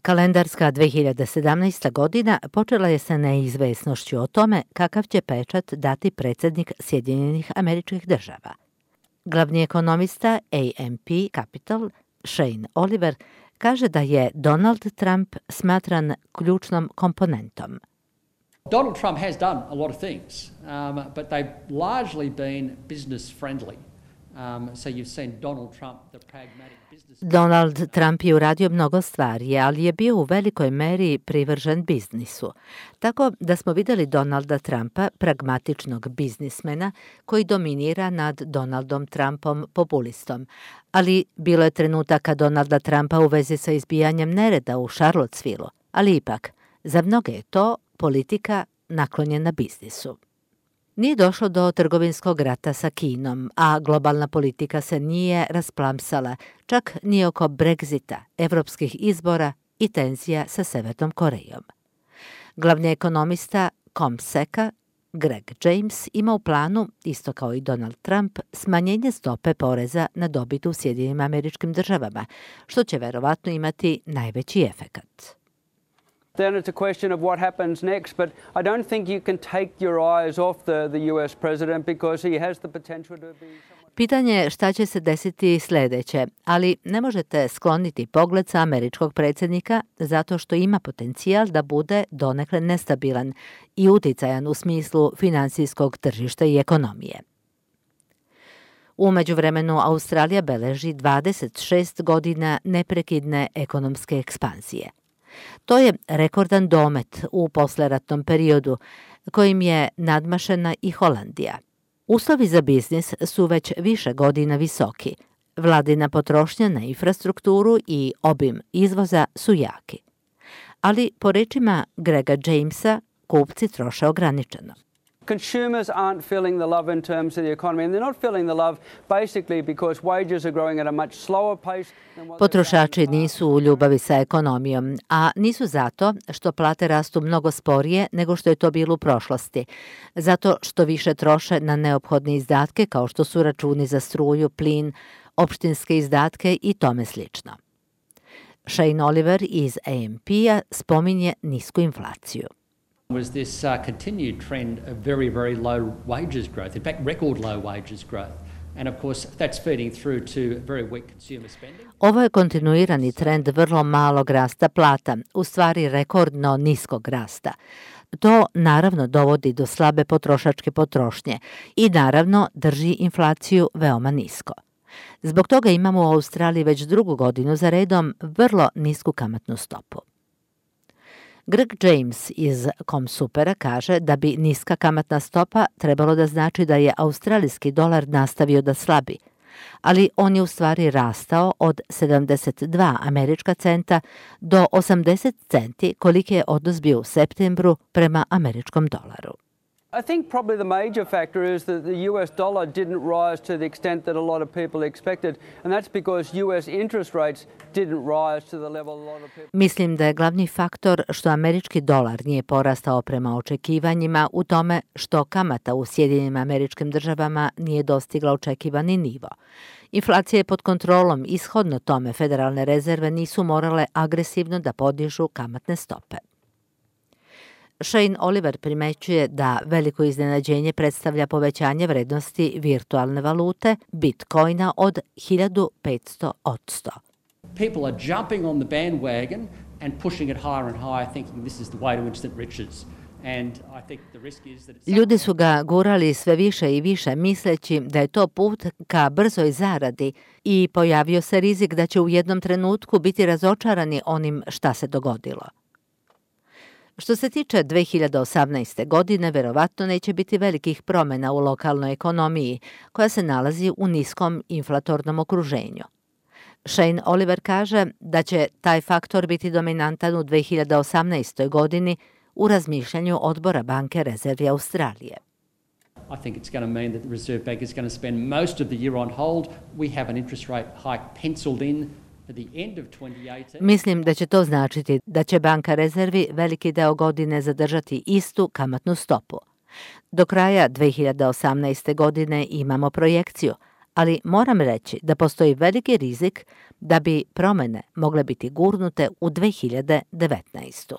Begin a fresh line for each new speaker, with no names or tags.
Kalendarska 2017. godina počela je sa neizvesnošću o tome kakav će pečat dati predsjednik Sjedinjenih Američkih Država. Glavni ekonomista AMP Capital, Shane Oliver, kaže da je Donald Trump smatran ključnom komponentom.
Donald Trump has done a lot of things, but they've largely been business friendly. So you've seen Donald Trump, the pragmatic business.
Donald Trump je uradio mnogo stvari, ali je bio u velikoj meri privržen biznisu. Tako da smo vidjeli Donalda Trumpa, pragmatičnog biznismena, koji dominira nad Donaldom Trumpom, populistom. Ali bilo je trenutaka Donalda Trumpa u vezi sa izbijanjem nereda u Charlottesville, ali ipak, za mnoge je to politika naklonjena biznisu. Nije došlo do trgovinskog rata sa Kinom, a globalna politika se nije rasplamsala, čak ni oko Brexita, evropskih izbora i tenzija sa Severnom Korejom. Glavni ekonomista CompSeca, Greg James, ima u planu, isto kao i Donald Trump, smanjenje stope poreza na dobit u Sjedinjenim Američkim Državama, što će verovatno imati najveći efekat.
Then it's a question of what happens next, but I don't think you can take your eyes off the US president because he has the potential to be someone...
Pitanje je šta će se desiti sljedeće, ali ne možete skloniti pogled sa američkog predsjednika zato što ima potencijal da bude donekle nestabilan i uticajan u smislu financijskog tržišta i ekonomije. U međuvremenu Australija beleži 26 godina neprekidne ekonomske ekspanzije. To je rekordan domet u posleratnom periodu, kojim je nadmašena i Holandija. Uslovi za biznis su već više godina visoki. Vladina potrošnja na infrastrukturu i obim izvoza su jaki. Ali, po rečima Grega Jamesa, kupci troše ograničeno.
Consumers aren't feeling the love in terms of the economy, and they're not feeling the love basically because wages are growing at a much slower pace than what...
Potrošači nisu u ljubavi sa ekonomijom, a nisu zato što plate rastu mnogo sporije nego što je to bilo u prošlosti, zato što više troše na neophodne izdatke kao što su računi za struju, plin, opštinske izdatke i tome slično. Shane Oliver iz AMP-a spominje nisku inflaciju.
Was this continued trend of very, very low wages growth, in fact record low wages growth. And of course that's feeding through to very weak consumer spending.
Ovo je kontinuirani trend vrlo malog rasta plata, u stvari rekordno niskog rasta. To naravno dovodi do slabe potrošačke potrošnje i naravno drži inflaciju veoma nisko. Zbog toga imamo u Australiji već drugu godinu za redom vrlo nisku kamatnu stopu. Greg James iz CompSupera kaže da bi niska kamatna stopa trebalo da znači da je australijski dolar nastavio da slabi, ali on je u stvari rastao od 72 američka centa do 80 centi koliki je odnos bio u septembru prema američkom dolaru.
I think probably the major factor is that the US dollar didn't rise to the extent that a lot of people expected, and that's because US interest rates didn't rise to the level a lot of people...
Mislim da je glavni faktor što američki dolar nije porastao prema očekivanjima u tome što kamata u Sjedinjenim Američkim Državama nije dostigla očekivani nivo. Inflacija je pod kontrolom i shodno tome federalne rezerve nisu morale agresivno da podižu kamatne stope. Shane Oliver primećuje da veliko iznenađenje predstavlja povećanje vrednosti virtualne valute Bitcoina od 1500%.
People are jumping on the bandwagon and pushing it higher and higher, thinking this is the way to instant riches. And I think the risk is that
Ljudi su ga gurali sve više i više misleći da je to put ka brzoj zaradi i pojavio se rizik da će u jednom trenutku biti razočarani onim šta se dogodilo. Što se tiče 2018. godine, verovatno neće biti velikih promjena u lokalnoj ekonomiji, koja se nalazi u niskom inflatornom okruženju. Shane Oliver kaže da će taj faktor biti dominantan u 2018. godini u razmišljanju odbora Banke rezervi Australije.
I think it's going to mean that the Reserve Bank is going to spend most of the year on hold. We have an interest rate hike penciled in.
Mislim da će to značiti da će Banka rezervi veliki deo godine zadržati istu kamatnu stopu. Do kraja 2018. godine imamo projekciju, ali moram reći da postoji veliki rizik da bi promene mogle biti gurnute u 2019.